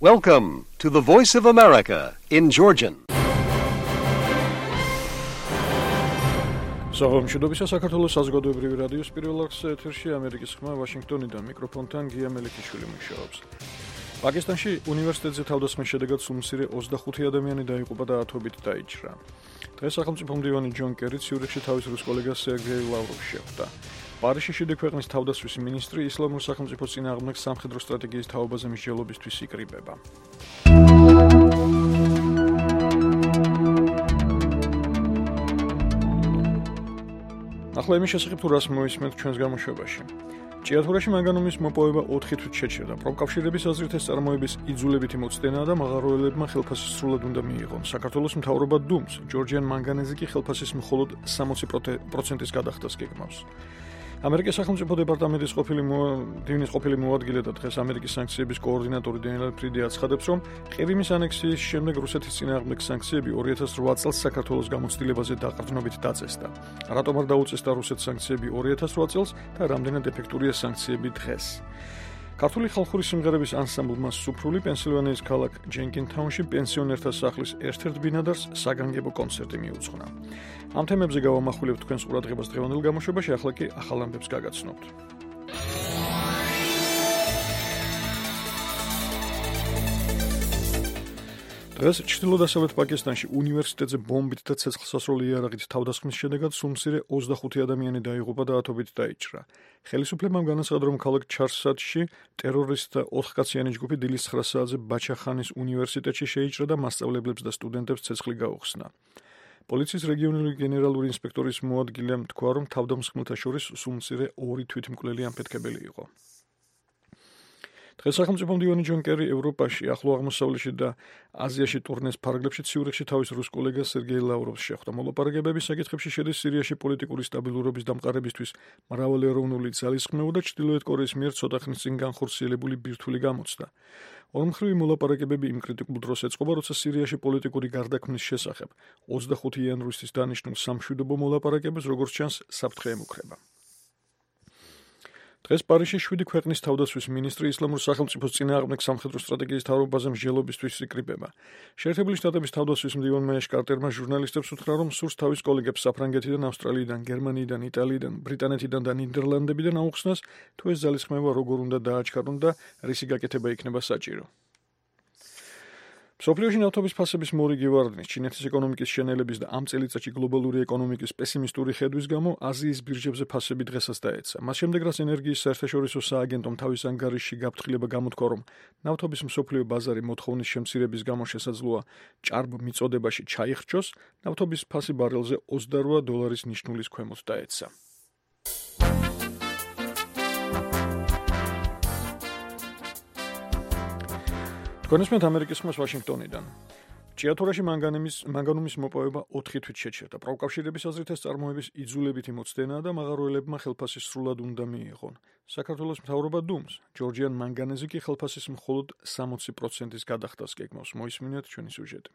Welcome to the Voice of America in Georgian. Საღამოშობისა საქართველოს საზოგადოებრივი რადიოს პირველ არხზე ეთერში ამერიკის ხმა ვაშინგტონიდან მიკროფონთან გია მელიქიშვილი მუშაობს. პაკისტანში უნივერსიტეტზე თავდასხმის შედეგად სულ 25 ადამიანი დაიღუპა და ათობით დაიჭრა. დღეს სახელმწიფო მდივანი ჯონ კერი ციურიხში თავის რუს კოლეგას სერგეი ლავროვს შეხვდა. პარიზში შედი ქვეყნის თავდასხმის მინისტრი ისლამურ სახელმწიფოს წინააღმდეგ სამხედრო სტრატეგიის თაობაზე მსჯელობისთვის იკრიბება. ახლა იმის შესახებ თუ რას მოისმენთ ჩვენს გამოშვებაში. ჭიათურაში მანგანუმის მოპოვება 4 თვით შეჩერდა. პროფკავშირების აზრით ეს წარმოების იძულებითი მოცდენაა და მაღაროელებმა ხელფასი სრულად უნდა მიიღონ. საქართველოს მთავრობა დუმს, ჯორჯიან მანგანეზი კი ხელფასის მხოლოდ 60%-ის გადახდას გეგმავს. ამერიკის სახელმწიფო დეპარტამენტის ყოფილი მოადგილე და დღეს ამერიკის სანქციების კოორდინატორი დენიელ ფრიდი აცხადებს, რომ ყირიმის ანექსიის შემდეგ რუსეთის წინააღმდეგ სანქციები 2008 წელს საქართველოს გამოცდილებაზე დაყრდნობით დაწესდა. რატომ არ დაუწესდა რუსეთს სანქციები 2008 წელს და რამდენად ეფექტურია სანქციები დღეს? ქართული ხალხური სიმღერების ანსამბლმა სუფრული პენსილვანიის ქალაქ ჯენკინთაუნში პენსიონერთა სახლის ერთ-ერთ ბინადარს საგანგებო კონცერტი მიუძღვნა. ამ თემებზე გავამახვილებთ თქვენს ყურადღებას დღევანდელ გამოშვებაში, ახლა კი ახალ ამბებს გაგაცნობთ. დღეს ჩრდილო-დასავლეთ პაკისტანში უნივერსიტეტზე ბომბით და ცეცხლსასროლი იარაღით თავდასხმის შედეგად სულ 25 ადამიანი დაიღუპა და ათობით დაიჭრა. ხელისუფლებამ განაცხადა, რომ ქალაქ ჩარსადში ტერორისტთა 4 კაციანი ჯგუფი დილის 9 საათზე ბაჩახანის უნივერსიტეტში შეიჭრა და მასწავლებლებს და სტუდენტებს ცეცხლი გაუხსნა. პოლიციის რეგიონული გენერალური ინსპექტორის მოადგილემ თქვა, რომ თავდამსხმელთა შორის სულ 2 თვითმკვლელი ამფეთქებელი იყო. დღეს სახელმწიფო მდივანი ჯონ კერი ევროპაში, ახლო აღმოსავლეთში და აზიაში ტურნეს ფარგლებში ციურიხში თავის რუს კოლეგას სერგეი ლავროვს შეხვდა. მოლაპარაკებების საკითხებში შედის სირიაში პოლიტიკური სტაბილურობის დამყარებისთვის მრავალეროვნული ძალისხმევა და ჩრდილოეთ კორეის მიერ ცოტა ხნის წინ განხორციელებული ბირთვული გამოცდა. ორმხრივი მოლაპარაკებები იმ კრიტიკულ დროს ეწყობა, როცა სირიაში პოლიტიკური გარდაქმნის შესახებ 25 იანვრისთვის დანიშნულ სამშვიდობო მოლაპარაკებებს, როგორც ჩანს, საფრთხე ემუქრება. დღეს პარიზში 7 ქვეყნის თავდასხმის მინისტრი ისლამურ სახელმწიფოს წინააღმდეგ სამხედრო სტრატეგიის თაობაზე მსჯელობისთვის იკრიბება. შეერთებული შტატების თავდასხმის მდივანმა ეშ კარტერმა ჟურნალისტებს უთხრა, რომ სურს თავის კოლეგებს საფრანგეთიდან, ავსტრალიიდან, გერმანიიდან, იტალიიდან, ბრიტანეთიდან და ნიდერლანდებიდან აუხსნას, თუ ეს ძალისხმევა როგორ უნდა დააჩქარონ და რისი გაკეთება იქნება საჭირო. მსოფლიოში ნავთობის ფასების მორიგი ვარდნის, ჩინეთის ეკონომიკის შენელების და ამ წელიწადში გლობალური ეკონომიკის პესიმისტური ხედვის გამო აზიის ბირჟებზე ფასები დღესაც დაეცა. მას შემდეგ, რაც ენერგიის საერთაშორისო სააგენტომ თავის ანგარიშში გაფრთხილება გამოთქვა, რომ ნავთობის მსოფლიო ბაზარი მოთხოვნის შემცირების გამო შესაძლოა ჭარბ მიწოდებაში ჩაიხრჩოს, ნავთობის ფასი ბარელზე $28 ნიშნულის ქვემოთ დაეცა. კონსმეთ ამერიკის ხმას ვაშინგტონიდან. ჭიათურაში მანგანუმის მოპოვება 4 თვით შეჩერდა. პროფკავშირების აზრით ეს წარმოების იძულებითი მოცდენაა და მაღაროელებმა ხელფასი სრულად უნდა მიიღონ. საქართველოს მთავრობა დუმს, ჯორჯიან მანგანეზი კი ხელფასის მხოლოდ 60%-ის გადახდას გეგმავს. მოისმინეთ ჩვენი სიუჟეტი.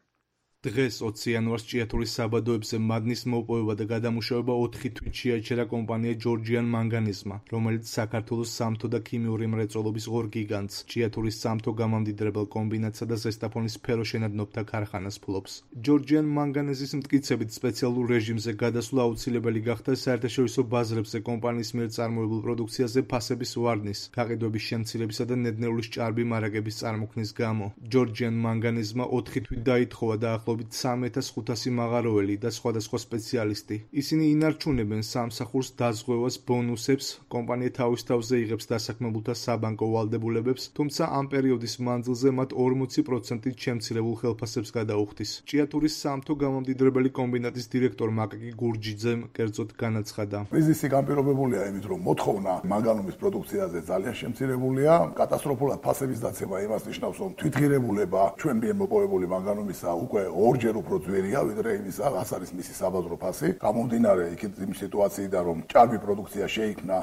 დღეს 20 იანვარს ჭიათურის საბადოებზე მადნის მოპოვება და გადამუშავება 4 თვით შეაჩერა კომპანია ჯორჯიან მანგანიზმა, რომელიც საქართველოს სამთო და ქიმიური მრეწველობის ღორ გიგანტს, ჭიათურის სამთო გამამდიდრებელ კომბინატსა და ზესტაფონის სფეროშენადნობთა ქარხანას ფლობს. ჯორჯიან მანგანეზის მტკიცებით სპეციალურ რეჟიმზე გადასვლა აუცილებელი გახდა საერთაშორისო ბაზრებზე კომპანიის მიერ წარმოებულ პროდუქციაზე ფასების ვარდნის, გაყიდვების შემცირებისა და ნედნეულის ჭარბი მარაგების წარმოქმნის გამო. ჯორჯიან მანგანიზმა 4 თვით დაითხოვა და ახლობით 3500 მაღაროელი და სხვადასხვა სპეციალისტი. ისინი ინარჩუნებენ სამსახურს დაზღვევას, ბონუსებს, კომპანია თავის თავზე იღებს დასაქმებულთა საბანკო ვალდებულებებს, თუმცა ამ პერიოდის მანძილზე მათ 40%-ით შემცირებულ ხელფასებს გადაუხდის. ჭიათურის სამთო გამამდიდრებელი კომბინატის დირექტორ მაკაკი გურჯიძემ კერძოდ განაცხადა. კრიზისი განპირობებულია იმით, რომ მოთხოვნა მანგანუმის პროდუქციაზე ძალიან შემცირებულია. კატასტროფულად ფასების დაცემა იმას ნიშნავს, რომ თვითღირებულება ჩვენ მიერ მოპოვებული მანგანუმისა უკვე ორჯერ უფრო ძვირია, ვიდრე იმისა, რაც არის მისი საბაზრო ფასი. გამომდინარე იმ სიტუაციიდან, რომ ჭარბი პროდუქცია შეიქმნა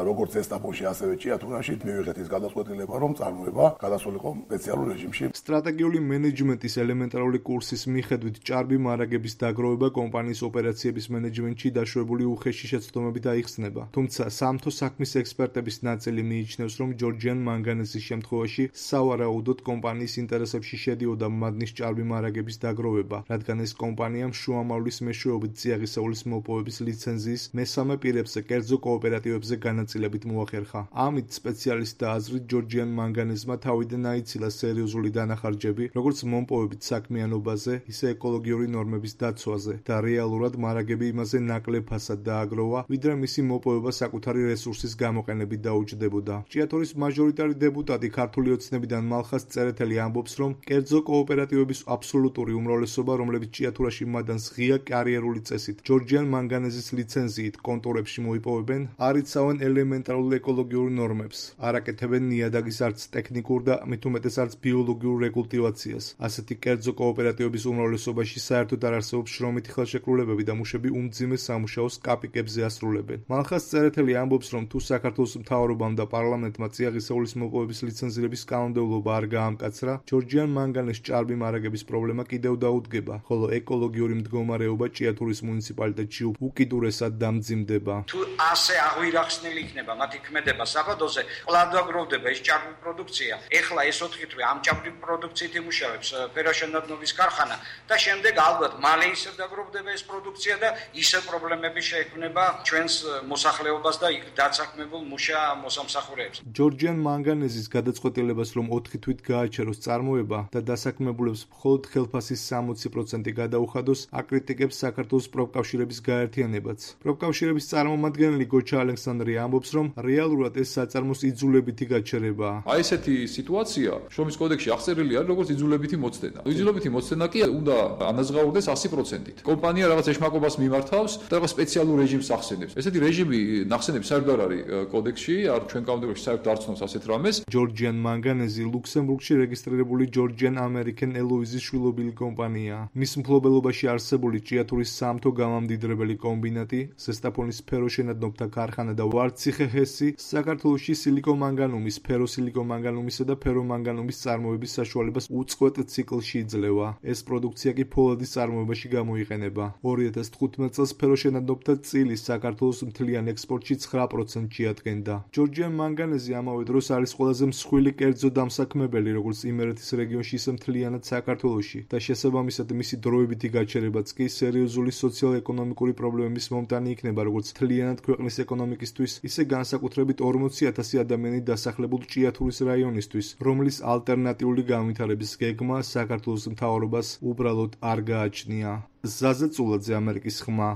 როგორც ესტაფონში, ასევე ჭიათურაში, მივიღეთ ის გადაწყვეტილება, რომ წარმოება გადასულიყო სპეციალურ რეჟიმში. სტრატეგიული მენეჯმენტის ელემენტარული კურსის მიხედვით ჭარბი მარაგების დაგროვება კომპანიის ოპერაციების მენეჯმენტში დაშვებული უხეში შეცდომებით აიხსნება. თუმცა სამთო საქმის ექსპერტების ნაწილი მიიჩნევს, რომ ჯორჯიან მანგანეზის შემთხვევაში სავარაუდოდ კომპანიის ინტერესებში შედიოდა მადნის ჭარბი მარაგების დაგროვება, რადგან ეს კომპანიამ შუამავლის მეშვეობით წიაღისეულის მოპოვების ლიცენზიის მესამე პირებზე კერძო კოოპერატივებზე განაწილებით მოახერხა. ამით სპეციალისტთა აზრით ჯორჯიან მანგანეზმა თავიდან აიცილა სერიოზული დანახარჯები, როგორც მომპოვებით საქმიანობაზე, ისე ეკოლოგიური ნორმების დაცვაზე და რეალურად მარაგები იმაზე ნაკლებ ფასად დააგროვა, ვიდრე მისი მოპოვება საკუთარი რესურსის გამოყენებით დაუჯდებოდა. ჭიათურის მაჟორიტარი დეპუტატი ქართული ოცნებიდან მალხას წერეთელი ამბობს, რომ კერძო კოოპერატივების აბსოლუტური უმრავლესობა, რომლებიც ჭიათურაში მადანს ღია კარიერული წესით ჯორჯიან მანგანეზის ლიცენზიით კონტორებში მოიპოვებენ, არ იცავენ ელემენტარულ ეკოლოგიურ ნორმებს, არ აკეთებენ ნიადაგის არც ტექნიკურ და მით უმეტეს არც ბიოლოგიურ რეკულტივაციას. ასეთი კერძო კოოპერატივების უმრავლესობაში საერთოდ არ არსებობს შრომითი ხელშეკრულებები და მუშები უმძიმე სამუშაოს კაპიკებზე ასრულებენ. მალხას წერეთელი ამბობს, რომ თუ საქართველოს მთავრობამ და პარლამენტმა წიაღისეულის მოპოვების ლიცენზირების კანონმდებლობა არ გაამკაცრა, ჯორჯიან მანგანეს ჭარბი მარაგების პრობლემა კიდევ დაუდგება, ხოლო ეკოლოგიური მდგომარეობა ჭიათურის მუნიციპალიტეტში უკიდურესად დამძიმდება. თუ ასე აღვირახსნილი იქნება მათი ქმედება საბადოზე, კვლავ დაგროვდება ეს ჭარბი პროდუქცია. ეხლა ეს 4 თვე ამ ჭარბი პროდუქციით იმუშავებს ფეროშენადნობის ქარხანა და შემდეგ ალბათ მალე ისევ დაგროვდება ეს პროდუქცია და ისევ პრობლემები შეექმნება ჩვენს მოსახლეობას და იქ დაცაქმებულ მუშა მოსამსახურეებს. ჯორჯიან მანგანეზის გადაწყვეტილებას, რომ 4 თვით გააჩეროს წარმოება და დასაქმებულებს მხოლოდ ხელფასის 60% გადაუხადოს, აკრიტიკებს საქართველოს პროფკავშირების გაერთიანებაც. პროფკავშირების წარმომადგენელი გოჩა ალექსანდრე ამბობს, რომ რეალურად ეს საწარმოს იძულებითი გაჩერებაა. აი ესეთი სიტუაცია შრომის კოდექსში აღწერილი არის როგორც იძულებითი მოცდენა. იძულებითი მოცდენა კი უნდა ანაზღაურდეს 100%-ით. კომპანია რაღაც ეშმაკობას მიმართავს და რაღაც სპეციალურ რეჟიმს ახსენებს. ესეთი რეჟიმი ნახსენები საერთოდ არ არის კოდექსში, არ ჩვენ კანონმდებლობაში საერთოდ არ ცნობს ასეთ რამეს. ჯორჯიან მანგანეზი ლუქსემბურგში რეგისტრირებული ჯორჯიან ამერიკენ ელოიზის შვილობილი კომპანიაა. მის მფლობელობაში არსებული ჭიათურის სამთო გამამდიდრებელი კომბინატი, ზესტაფონის ფეროშენადნობთა ქარხანა და ვარციხე-ჰესი საქართველოში სილიკომანგანუმის, ფეროსილიკომანგანუმისა და ფერომანგანუმის წარმოების საშუალებას უწყვეტ ციკლში იძლევა. ეს პროდუქცია კი ფოლადის წარმოებაში გამოიყენება. 2015 წელს ფეროშენადნობთა წილი საქართველოს მთლიან ექსპორტში 9% შეადგენდა. ჯორჯიან მანგანეზი ამავე დროს არის ყველაზე მსხვილი კერძო დამსაქმებელი, როგორც იმერეთის რეგიონში, ისე მთლიანად საქართველოში და შესაბამისად მისი დროებითი გაჩერებაც კი სერიოზული სოციალ-ეკონომიკური პრობლემების მომტანი იქნება, როგორც მთლიანად ქვეყნის ეკონომიკისთვის, ისე განსაკუთრებით 40,000 ადამიანი დასახლებულ ჭიათურის რაიონისთვის, რომლის ალტერნატიული განვითარების გეგმა საქართველოს მთავრობას უბრალოდ არ გააჩნია. ზაზა წულაძე, ამერიკის ხმა,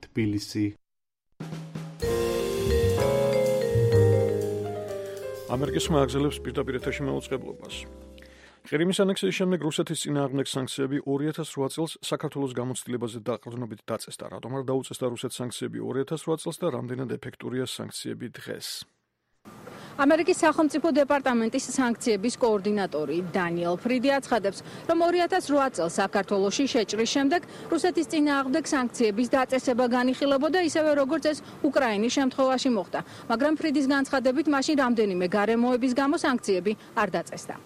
თბილისი. ამერიკის ხმა აგზელებს პირდაპირ ეთერში მაუწყებლობას. ყირიმის ანექსიის შემდეგ რუსეთის წინააღმდეგ სანქციები 2008 წელს საქართველოს გამოცდილებაზე დაყრდნობით დაწესდა. რატომ არ დაუწესდა რუსეთს სანქციები 2008 წელს და რამდენად ეფექტურია სანქციები დღეს? ამერიკის სახელმწიფო დეპარტამენტის სანქციების კოორდინატორი დანიელ ფრიდი აცხადებს, რომ 2008 წელს საქართველოში შეჭრის შემდეგ რუსეთის წინააღმდეგ სანქციების დაწესება განიხილებოდა ისევე როგორც ეს უკრაინის შემთხვევაში მოხდა, მაგრამ ფრიდის განცხადებით მაშინ რამდენიმე გარემოების გამო სანქციები არ დაწესდა.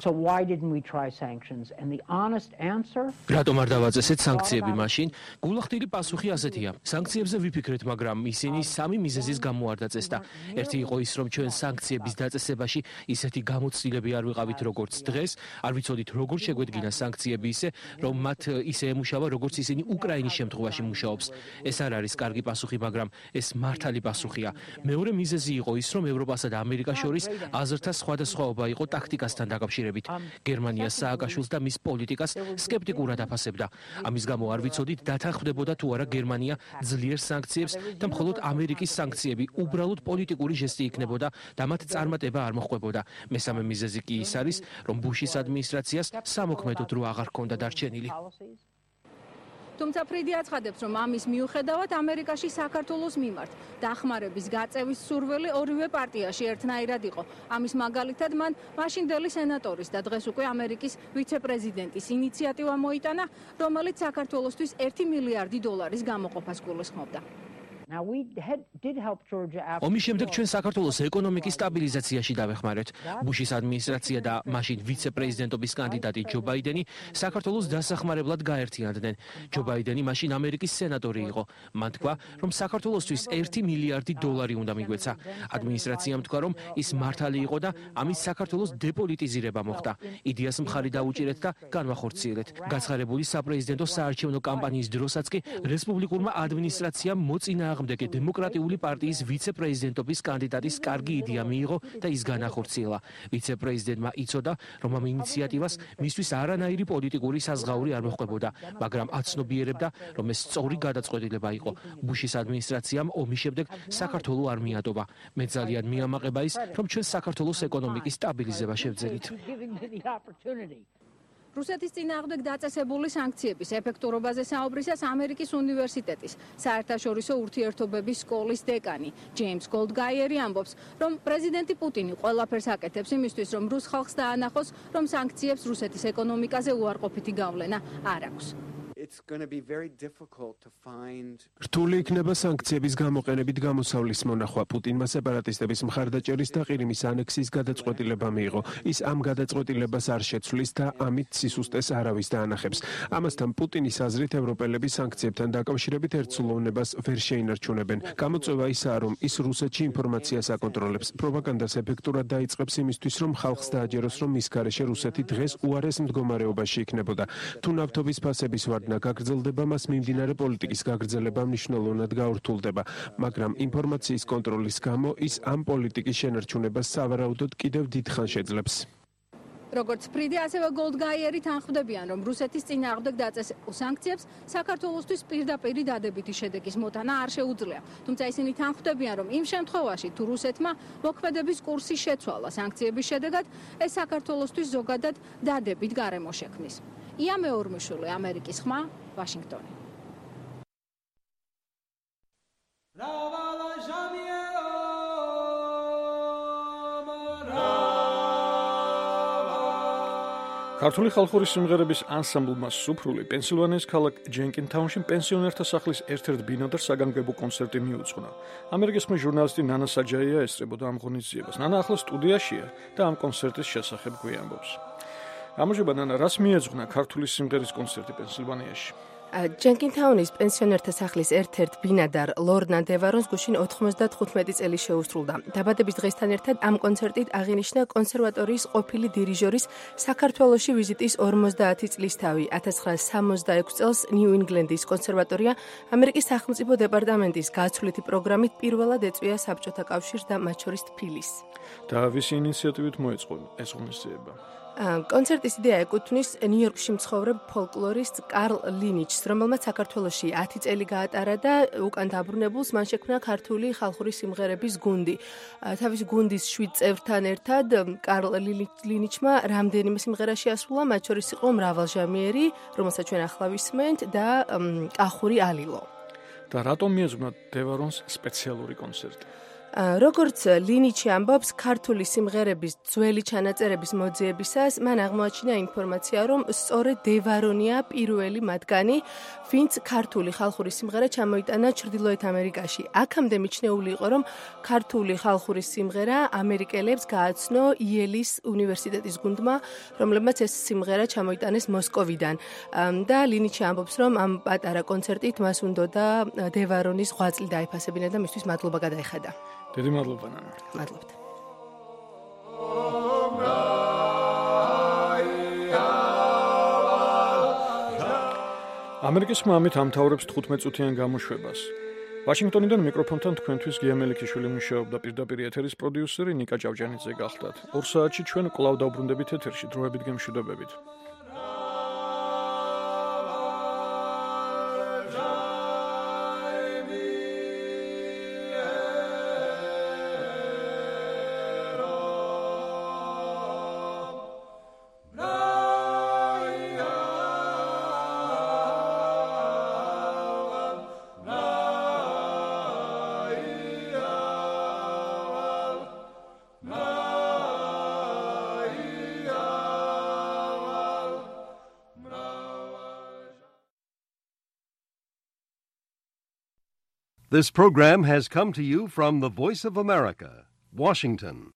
So why didn't we try sanctions? And the honest answer? რატომ არ დავაწესეთ სანქციები მაშინ? გულახდილი პასუხი ასეთია. სანქციებზე ვიფიქრეთ, მაგრამ ისინი სამი მიზეზის გამო არ დაწესდა. ერთი იყო ის, რომ ჩვენ სანქციების დაწესებაში ისეთი გამოცდილები არ ვიყავით, როგორც დღეს, არ ვიცოდით როგორ შეგვედგინა სანქციები ისე, რომ მათ ისე ემუშავა, როგორც ისინი უკრაინის შემთხვევაში მუშაობს. ეს არ არის კარგი პასუხი, მაგრამ ეს მართალი პასუხია. მეორე მიზეზი იყო ის, რომ ევროპასა და ამერიკას შორის აზრთა სხვადასხვაობა იყო ტაქტიკასთან დაკავშირებით. გერმანია სააკაშვილს და მის პოლიტიკას სკეპტიკურად აფასებდა. ამის გამო არ ვიცოდით დათანხმდებოდა თუ არა გერმანია ძლიერ სანქციებს და მხოლოდ ამერიკის სანქციები უბრალოდ პოლიტიკური ჟესტი იქნებოდა და მათ წარმატება არ მოჰყვებოდა. მესამე მიზეზი კი ის არის, რომ ბუშის ადმინისტრაციას სამოქმედო დრო აღარ ჰქონდა დარჩენილი. თუმცა ფრიდი აცხადებს, რომ ამის მიუხედავად ამერიკაში საქართველოს მიმართ დახმარების გაწევის სურვილი ორივე პარტიაში ერთნაირად იყო. ამის მაგალითად მან მაშინდელი სენატორის და დღეს უკვე ამერიკის ვიცე-პრეზიდენტის ინიციატივა მოიტანა, რომელიც საქართველოსთვის 1 მილიარდი დოლარის გამოყოფას გულისხმობდა. ომის შემდეგ ჩვენ საქართველოს ეკონომიკის სტაბილიზაციაში დავეხმარეთ. ბუშის ადმინისტრაცია და მაშინ ვიცე-პრეზიდენტობის კანდიდატი ჯო ბაიდენი საქართველოს დასახმარებლად გაერთიანდნენ. ჯო ბაიდენი მაშინ ამერიკის სენატორი იყო. მან თქვა, რომ საქართველოსთვის 1 მილიარდი დოლარი უნდა მიგვეცა. ადმინისტრაციამ თქვა, რომ ის მართალი იყო და ამის საქართველოს დეპოლიტიზირება მოხდა. იდეას მხარი დაუჭირეთ და განვახორციელეთ. გაცხარებული საპრეზიდენტო საარჩევნო კამპანიის დროსაც კი რესპუბლიკურმა ადმინისტრაციამ მოწინააღმდეგე დემოკრატიული პარტიის ვიცე-პრეზიდენტობის კანდიდატის კარგი იდეა მიიღო და ის განახორციელა. ვიცე-პრეზიდენტმა იცოდა, რომ ამ ინიციატივას მისთვის არანაირი პოლიტიკური საზღაური არ მოჰყვებოდა, მაგრამ აცნობიერებდა, რომ ეს სწორი გადაწყვეტილება იყო. ბუშის ადმინისტრაციამ ომის შემდეგ საქართველოს არ მიატოვა. მე ძალიან მიამაყება ის, რომ ჩვენ საქართველოს ეკონომიკის სტაბილიზება შევძელით. რუსეთის წინააღმდეგ დაწესებული სანქციების ეფექტურობაზე საუბრისას ამერიკის უნივერსიტეტის საერთაშორისო ურთიერთობების სკოლის დეკანი ჯეიმს გოლდგაიერი ამბობს, რომ პრეზიდენტი პუტინი ყველაფერს აკეთებს იმისთვის, რომ რუს ხალხს დაანახოს, რომ სანქციებს რუსეთის ეკონომიკაზე უარყოფითი გავლენა არ აქვს. რთული იქნება სანქციების გამოყენებით გამოსავლის მონახვა. პუტინმა სეპარატისტების მხარდაჭერის და ყირიმის ანექსიის გადაწყვეტილება მიიღო. ის ამ გადაწყვეტილებას არ შეცვლის და ამით სისუსტეს არავის დაანახებს. ამასთან პუტინის აზრით ევროპელები სანქციებთან დაკავშირებით ერთსულოვნებას ვერ შეინარჩუნებენ. გამოწვევა ისაა, რომ ის რუსეთში ინფორმაციას აკონტროლებს, პროპაგანდას ეფექტურად დაიწყებს იმისთვის, რომ ხალხს დააჯეროს, რომ მის გარეშე რუსეთი დღეს უარეს მდგომარეობაში იქნებოდა. თუ ნავთობის ფასების ვარდნა გაგრძელდება, მას მიმდინარე პოლიტიკის გაგრძელება მნიშვნელოვნად გაურთულდება, მაგრამ ინფორმაციის კონტროლის გამო ის ამ პოლიტიკის შენარჩუნებას სავარაუდოდ კიდევ დიდხანს შეძლებს. როგორც ფრიდი, ასევე გოლდგაიერი თანხმდებიან, რომ რუსეთის წინააღმდეგ დაწესებულ სანქციებს საქართველოსთვის პირდაპირი დადებითი შედეგის მოტანა არ შეუძლია. თუმცა ისინი თანხმდებიან, რომ იმ შემთხვევაში, თუ რუსეთმა მოქმედების კურსი შეცვალა სანქციების შედეგად, ეს საქართველოსთვის ზოგადად დადებით გარემო შექმნის. ია მეორმიშვილი, ამერიკის ხმა, ვაშინგტონი. ქართული ხალხური სიმღერების ანსამბლმა სუფრული პენსილვანიის ქალაქ ჯენკინთაუნში პენსიონერთა სახლის ერთ-ერთ ბინადარ საგანგებო კონცერტი მიუძღვნა. ამერიკის ხმა ჟურნალისტი ნანა საჯაია ესწრებოდა ამ ღონისძიებას. ნანა ახლა სტუდიაშია და ამ კონცერტის შესახებ გვიამბობს. გამარჯობა ნანა, რას მიეძღვნა ქართული სიმღერის კონცერტი პენსილვანიაში? ჯენკინთაუნის პენსიონერთა სახლის ერთ-ერთ ბინადარ ლორნა დევარონს გუშინ 95 წელი შეუსრულდა. დაბადების დღესთან ერთად ამ კონცერტით აღინიშნა კონსერვატორიის ყოფილი დირიჟორის საქართველოში ვიზიტის 50 წლისთავი. 1966 წელს ნიუ-ინგლენდის კონსერვატორია ამერიკის სახელმწიფო დეპარტამენტის გაცვლითი პროგრამით პირველად ეწვია საბჭოთა კავშირს და მათ შორის თბილისს. და ვისი ინიციატივით მოეწყო ეს ღონისძიება? კონცერტის იდეა ეკუთვნის ნიუ-იორკში მცხოვრებ ფოლკლორისტ კარლ ლინიჩს, რომელმაც საქართველოში 10 წელი გაატარა და უკან დაბრუნებულს მან შექმნა ქართული ხალხური სიმღერების გუნდი. თავის გუნდის 7 წევრთან ერთად კარლ ლინიჩმა რამდენიმე სიმღერა შეასრულა, მათ შორის იყო მრავალჟამიერი, რომელსაც ჩვენ ახლა ვისმენთ და კახური ალილო. და რატომ მიეძღვნა დევარონს სპეციალური კონცერტი? როგორც ლინიჩი ამბობს, ქართული სიმღერების ძველი ჩანაწერების მოძიებისას მან აღმოაჩინა ინფორმაცია, რომ სწორედ დევარონია პირველი მათგანი, ვინც ქართული ხალხური სიმღერა ჩამოიტანა ჩრდილოეთ ამერიკაში. აქამდე მიჩნეული იყო, რომ ქართული ხალხური სიმღერა ამერიკელებს გააცნო იელის უნივერსიტეტის გუნდმა, რომლებმაც ეს სიმღერა ჩამოიტანეს მოსკოვიდან. და ლინიჩი ამბობს, რომ ამ პატარა კონცერტით მას უნდოდა დევარონის ღვაწლი დაიფასებინა და მისთვის მადლობა გადაეხადა. დიდი მადლობა ნანა. მადლობთ. ამერიკის ხმა ამით ამთავრებს 15 წუთიან გამოშვებას. ვაშინგტონიდან მიკროფონთან თქვენთვის გია მელიქიშვილი მუშაობდა, პირდაპირ ეთერის პროდიუსერი ნიკა ჭავჭანიძე გახდათ. 2 საათში ჩვენ კვლავ დავბრუნდებით ეთერში, დროებით გემშვიდობებით. This program has come to you from the Voice of America, Washington.